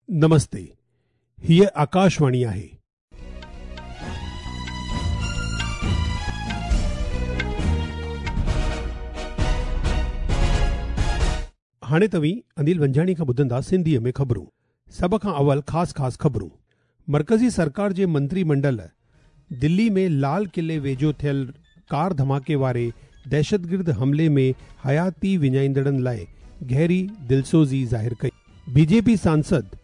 نمستي، هيء آڪاشواڻي آهي. هاڻي توهين انيل ونجهاڻي کان ٻڌندا سنڌيء ۾ خبرون. سڀ کان اول خاص خاص خبرون. مرڪزي سرڪار جي منتري منڊل دلي ۾ لال قلعي ويجهو ٿيل ڪار ڌماڪي واري دهشتگرد حملي ۾ حياتي وڃائيندڙن لاء گهري دلسوزي ظاهر ڪئي. بي جي پي سانسد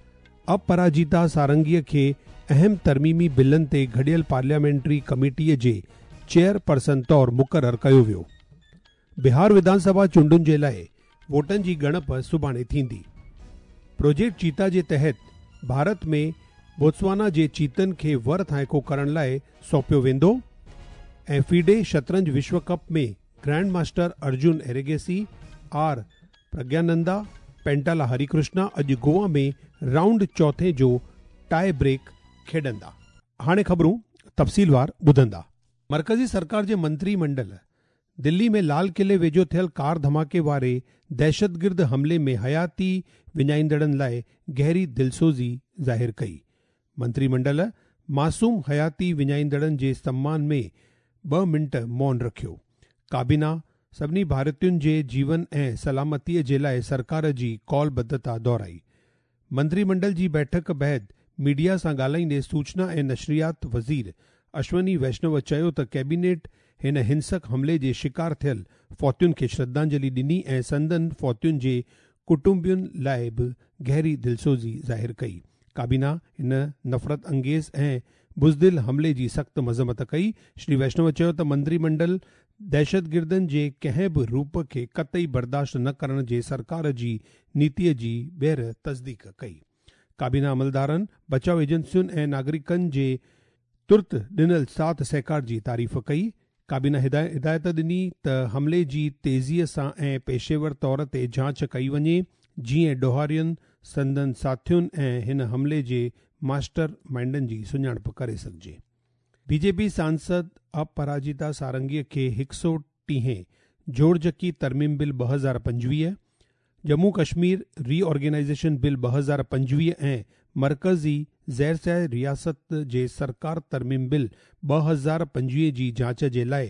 اپراجيتا سارنگي کي اهم ترميمي بلن تي گڏيل پارليامينٽري ڪميٽي جي چيئرپرسن طور مقرر ڪيو ويو. بهار وڌان سڀا چونڊن جي لاء ووٽن جي ڳڻپ سڀاڻي ٿيندي. پروجيڪٽ چيتا جي تحت ڀارت ۾ بوتسوانا جي چيتن کي ور ٿانئيڪو ڪرڻ لاء سونپيو ويندو ۽ فيڊي شطرنج وشو cup ۾ grand master Arjun Erigaisi, R Praggnanandhaa, Pentala Harikrishna اڄ گوا ۾ رائونڊ چوٿين جو ٽائي بريڪ کيڏندا. هاڻي خبرون تفصيلوار ٻڌندا. مرڪزي سرڪار جي منتري منڊل دلي ۾ لال قلعي ويجهو ٿيل ڪار ڌماڪي واري دهشتگرد حملي ۾ حياتي وڃائيندڙن لاء گهري دلسوزي ظاهر ڪئي. منتري منڊل معصوم حياتي وڃائيندڙن جي سمان ۾ ٻه منٽ مون رکيو. ڪابينا سڀني ڀارتين جي جيون ۽ سلامتي جي لاء سرڪار جي قولبڌتا دهرائي. منتري منڊل جي بيٺڪ بعد ميڊيا سان ڳالهائيندي سوچنا ۽ نشريات وزير اشوني ويشنو چيو ته ڪيبينيٽ هن هنسڪ حملي جي شڪار ٿيل فوتين کي شرڌانجلي ڏني ۽ سندن فوتين جي ڪٽنبن لاء به گهري دلسوزي ظاهر ڪئي. ڪابينا هن نفرت انگيز ۽ بزدل حملي جي سخت مذمت ڪئي. شري ويشنو چيو ته منتري منڊل دهشتگردن جي ڪنهن به روپ کي قطعي برداشت نه ڪرڻ جي سرڪار جي نيتي جي ٻيهر تصديق ڪئي. ڪابينا عملدارن، بچاء ايجنسين ۽ ناگرڪن جي ترت ڏنل ساٿ سهڪار جي تعريف ڪئي. ڪابينا هدايت ڏني ته حملي جي تيزيء سان ۽ پيشيور طور تي جاچ ڪئي وڃي، جيئن ڏوهارين، سندن ساٿين ۽ هن حملي جي ماسٽر مائينڊن جي سڃاڻپ ڪري سگهجي. بي جي پي سانسد اپراجيتا سارنگي کي 130 جوڙجڪي ترميم بل 2025، ڄمون ڪشمير ري آرگنائيزيشن بل 2025 ۽ مرڪزي زيرسياح رياست جي سرڪار ترميم بل 2025 جي جاچ جي لاء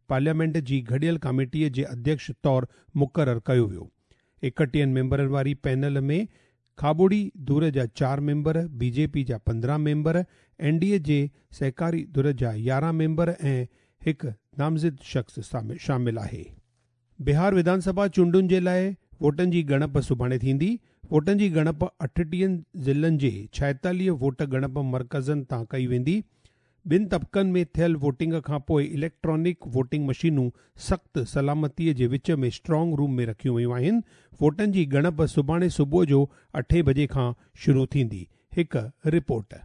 پارليامينٽ جي گڏيل ڪاميٽي جي اڌيڪش طور مقرر ڪيو ويو. 31 ميمبرن واري پينل ۾ کاٻوڙي ڌر جا 4 ميمبر، بي جي پي جا 15 ميمبر، اين ڊي اي جي سهڪاري ڌر جا 11 ميمبر ۽ هڪ نامزد شخص شامل آهي. بهار وڌان سڀا چونڊن جي لاء ووٽن جي ڳڻپ سڀاڻي ٿيندي. ووٽن جي ڳڻپ 38 ضلعن جي 46 ووٽ ڳڻپ مرڪزن تان ڪئي ويندي. ٻن طبقن ۾ ٿيل ووٽنگ کان پوء اليڪٽرانڪ ووٽنگ مشينون سخت سلامتي جي وچ ۾ اسٽرانگ روم ۾ رکيون ويون آهن. ووٽن جي ڳڻپ سڀاڻي صبح جو 8 بجي کان شروع ٿيندي. هڪ رپورٽ.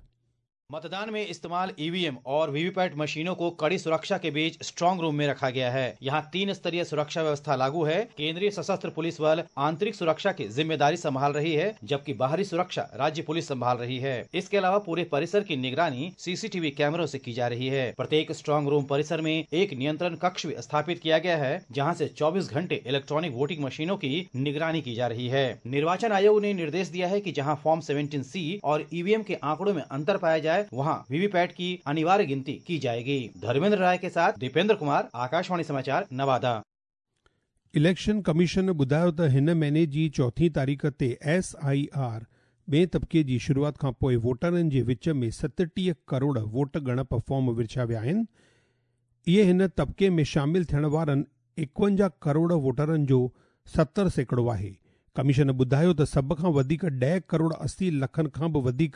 मतदान में इस्तेमाल ईवीएम और वीवीपैट मशीनों को कड़ी सुरक्षा के बीच स्ट्रांग रूम में रखा गया है। यहां 3 स्तरीय सुरक्षा व्यवस्था लागू है। केंद्रीय सशस्त्र पुलिस बल आंतरिक सुरक्षा की जिम्मेदारी संभाल रही है, जबकि बाहरी सुरक्षा राज्य पुलिस संभाल रही है। इसके अलावा पूरे परिसर की निगरानी सीसीटीवी कैमरों से की जा रही है। प्रत्येक स्ट्रांग रूम परिसर में एक नियंत्रण कक्ष भी स्थापित किया गया है, जहाँ से 24 घंटे इलेक्ट्रॉनिक वोटिंग मशीनों की निगरानी की जा रही है। निर्वाचन आयोग ने निर्देश दिया है कि जहाँ फॉर्म 17C और ईवीएम के आंकड़ों में अंतर पाया जाए, वहां वीवीपैट की अनिवार्य गिनती की जाएगी। धर्मेंद्र राय के साथ दीपेंद्र कुमार, आकाशवाणी समाचार, नवादा। इलेक्शन कमीशन ॿुधायो त हिन महीने जी 4 तारीख़ ते एस I R ॿिए तबिके जी शुरूआत खां पोइ वोटरनि जे विच में 37 करोड़ वोट ॻणप फॉर्म विरछिया विया आहिनि। इहे हिन तबिके में शामिल थियण वारनि 51 करोड़ वोटरनि जो 70% आहे। कमीशन ॿुधायो त सभ खां वधीक 10 करोड़ 80 लखनि खां बि वधीक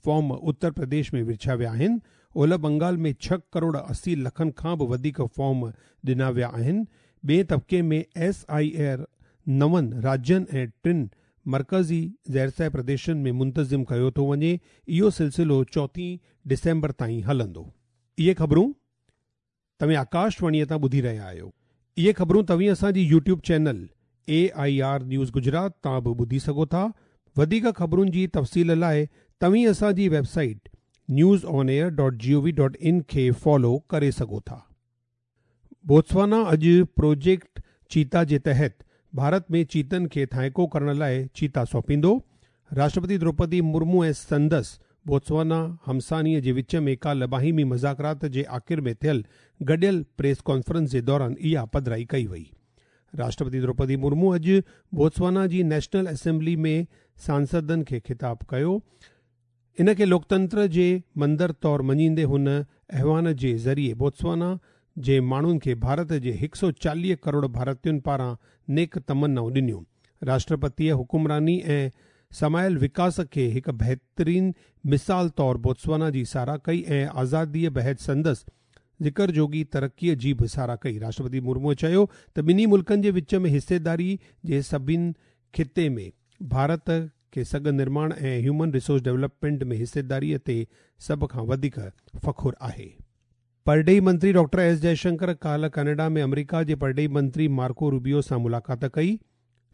फॉर्म उत्तर प्रदेश में विरछिया विया आहिनि। ओलह बंगाल में 6 करोड़ 80 लखनि खां बि वधीक फॉर्म ॾिना विया आहिनि। ॿिए तबिके में एस I R 9 राज्यनि ऐं 3 मर्कज़ी ज़ेरसाय प्रदेशनि में मुंतज़िम कयो थो वञे। इहो सिलसिलो 4 डिसेंबर ताईं हलंदो। इहे ख़बरूं तव्हीं आकाशवाणीअ तां ॿुधी रहिया आहियो। इहे ख़बरूं तव्हीं असांजी YouTube channel AIR news Gujarat तां बि ॿुधी सघो था। वधीक ख़बरुनि जी तफ़सील लाइ तव्हीं असांजी वेबसाइट newsonair.gov.in खे फॉलो करे सघो था। बोत्सवाना अॼु प्रोजेक्ट चीता जे तहत भारत में चीतनि खे थाइको करण लाइ चीता सौंपींदो। راشٽرپتي دروپدي مرمو ۽ سندس بوتسوانا همسانيء جي وچ ۾ ڪالهه باهمي مذاڪرات جي آخر ۾ ٿيل گڏيل پريس ڪانفرنس جي دوران اها پڌرائي ڪئي وئي. راشٽرپتي دروپدي مرمو اڄ بوتسوانا جي نيشنل اسيمبلي ۾ سانسدن کي خطاب ڪيو. ان کي لوڪتنتر جي مندر طور مڃيندي هن ايوان جي ذريعي بوتسوانا جي ماڻهن کي ڀارت جي 140 ڪروڙ ڀارتين پاران نيڪ تمنائون ڏنيون. راشٽرپتيء حڪمراني ۽ سمايل وڪاس کي هڪ بهترين مثال طور بوتسوانا جي ساراهه ڪئي ۽ آزاديء بعد سندس ذڪر جوڳي ترقيء جي به ساراهه ڪئي. راشٽرپتي مرموء چيو ته ٻنهي ملڪن جي وچ ۾ حصيداري جي سڀني خطي ۾ ڀارت کي سگهه نرماڻ ۽ هيومن ريسورس ڊولپمينٽ ۾ حصيداري تي سڀ کان وڌيڪ فخر آهي. پرڏيهي منتري ڊاڪٽر ايس جئشنڪر ڪالهه ڪئناڊا ۾ آمريڪا جي پرڏيهي منتري مارڪو روبيو سان ملاقات ڪئي.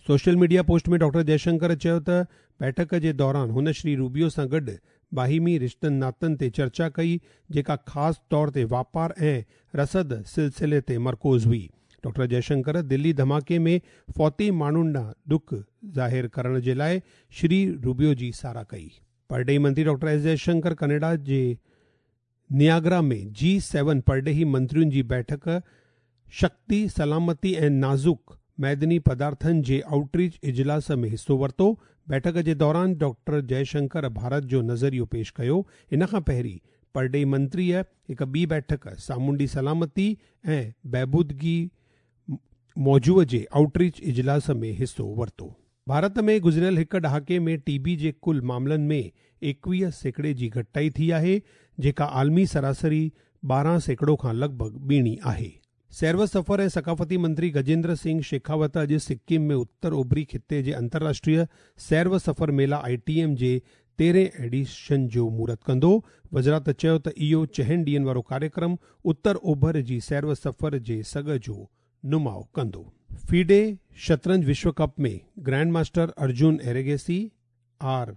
سوشل ميڊيا پوسٽ ۾ ڊاڪٽر جئشنڪر چيو ته بيٺڪ جي دوران هن شري روبيو سان گڏ باهمي رشتن ناتن تي چرچا ڪئي جيڪا خاص طور تي واپار ۽ رسد سلسلي تي مرڪوز هئي. ڊاڪٽر جئشنڪر دلي ڌماڪي ۾ فوتي ماڻهن ڏانهن ڏک ظاهر ڪرڻ جي لاء شري روبيو جي ساراهه ڪئي. پرڏيهي منتري ڊاڪٽر ايس جئشنڪر ڪئناڊا جي نياگرا ۾ جي سيون پرڏيهي منترين جي بيٺڪ شڪتي، سلامتي ۽ نازڪ معدني پدارٿن جي آئوٽ ريچ اجلاس ۾ حصو ورتو. بيٺڪ جي دوران ڊاڪٽر جئشنڪر ڀارت جو نظريو پيش ڪيو. ان کان پهرين پرڏيهي منتريء هڪ ٻي بيٺڪ سامونڊي سلامتي ۽ بهبودگي موضوع جي آئوٽ ريچ اجلاس ۾ حصو ورتو. ڀارت ۾ گذريل هڪ ڏهاڪي ۾ ٽي بي جي ڪل معاملن ۾ 21% جي گهٽتائي ٿي آهي، جيڪا عالمي سراسري 12% کان لڳ ڀڳ ٻيڻي آهي. سير و سفر ۽ ثقافتي منتري گجيندر سنگهه شيخاوت اڄ سڪم ۾ اتر اوڀري خطي جي انترراشٽريه سير و سفر ميلا آء ٽي ايم جي 13 ايڊيشن جو مهورت ڪندو. وزارت چيو ته اهو چئن ڏينهن وارو ڪاريڪرم اتر اوڀر جي سير و سفر جي سگهه جو نماء ڪندو. فيڊي شطرنج وشو ڪپ ۾ grand master Arjun Erigaisi, R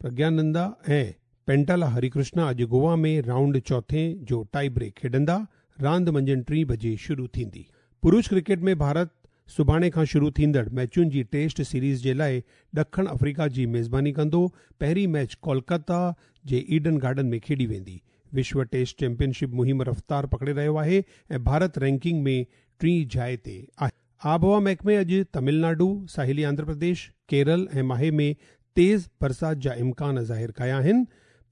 Praggnanandhaa ۽ Pentala Hari Krishna اڄ گوا ۾ رائونڊ چوٿين جو ٽائي بريڪ کيڏندا. راند منجهند 3 بجي شروع ٿيندي. پرش ڪرڪيٽ ۾ ڀارت سڀاڻي کان شروع ٿيندڙ ميچن جي ٽيسٽ سيريز جي لاء ڏکڻ آفريڪا جي ميزباني ڪندو. پهرين ميچ ڪولڪاتا جي ايڊن گارڊن ۾ کيڏي ويندي. وشو ٽيسٽ چيمپيئن شپ مهم رفتار پڪڙي رهيو آهي ۽ ڀارت رينڪنگ ۾ ٽين جاء تي آهي. آبهوا محڪمي اڄ تامل ناڊو، ساحلي آنڌرا پرديش، ڪيرل ۽ ماهي ۾ تيز برسات جا امڪان ظاهر ڪيا آهن.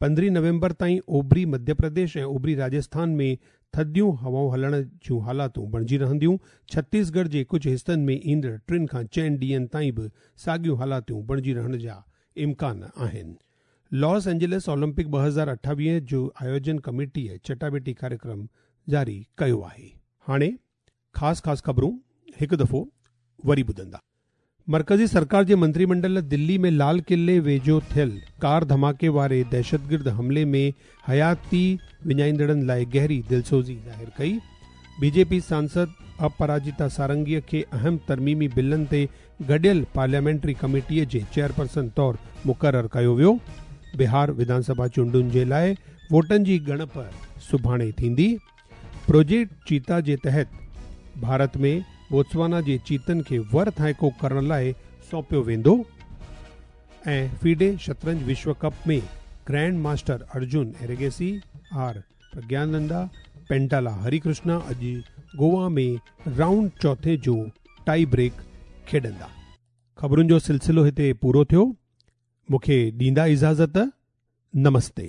15 نومبر تائين اوڀري مڌيه پرديش ۽ اوڀري راجسٿان ۾ ٿڌيون هوائون هلڻ جون حالاتون بڻجي رهنديون. ڇتيسڳڙهه جي ڪجهه حصن ۾ ايندڙ 3 کان 4 ڏينهن تائين به ساڳيون حالاتون بڻجي رهڻ جا امڪان آهن. لاس اينجلس اولمپڪ 2028 جو آيوجن ڪميٽيء چٽاڀيٽي ڪاريڪرم جاري ڪيو آهي. هاڻي خاص خاص خبرون هڪ دفعو وري ٻڌندا. مرڪزي سرڪار جي منتري منڊل دلي ۾ لال قلعي ويجهو ٿيل ڪار ڌماڪي واري دهشتگرد حملي ۾ حياتي وڃائيندڙن لاء گهري دلسوزي ظاهر ڪئي. بي جي پي سانسد اپراجيتا سارنگي کي اهم ترميمي بلن تي گڏيل پارليامينٽري ڪميٽي جي چيئرپرسن طور مقرر ڪيو ويو. بهار وڌانسڀا چونڊن جي لاء ووٽن جي ڳڻپ سڀاڻي ٿيندي. پروجيڪٽ چيتا جي تحت ڀارت ۾ بوتسوانا جي چيتن کي ور ٿائيڪو ڪرڻ لاء سونپيو ويندو ۽ فيڊي شطرنج وشو ڪپ ۾ grand master Arjun Erigaisi, R Praggnanandhaa, Pentala Hari Krishna اڄ گوا ۾ رائونڊ چوٿين جو ٽائي بريڪ کيڏندا. خبرن جو سلسلو هتي پورو ٿيو. مون کي ڏيندا اجازت. نمستي.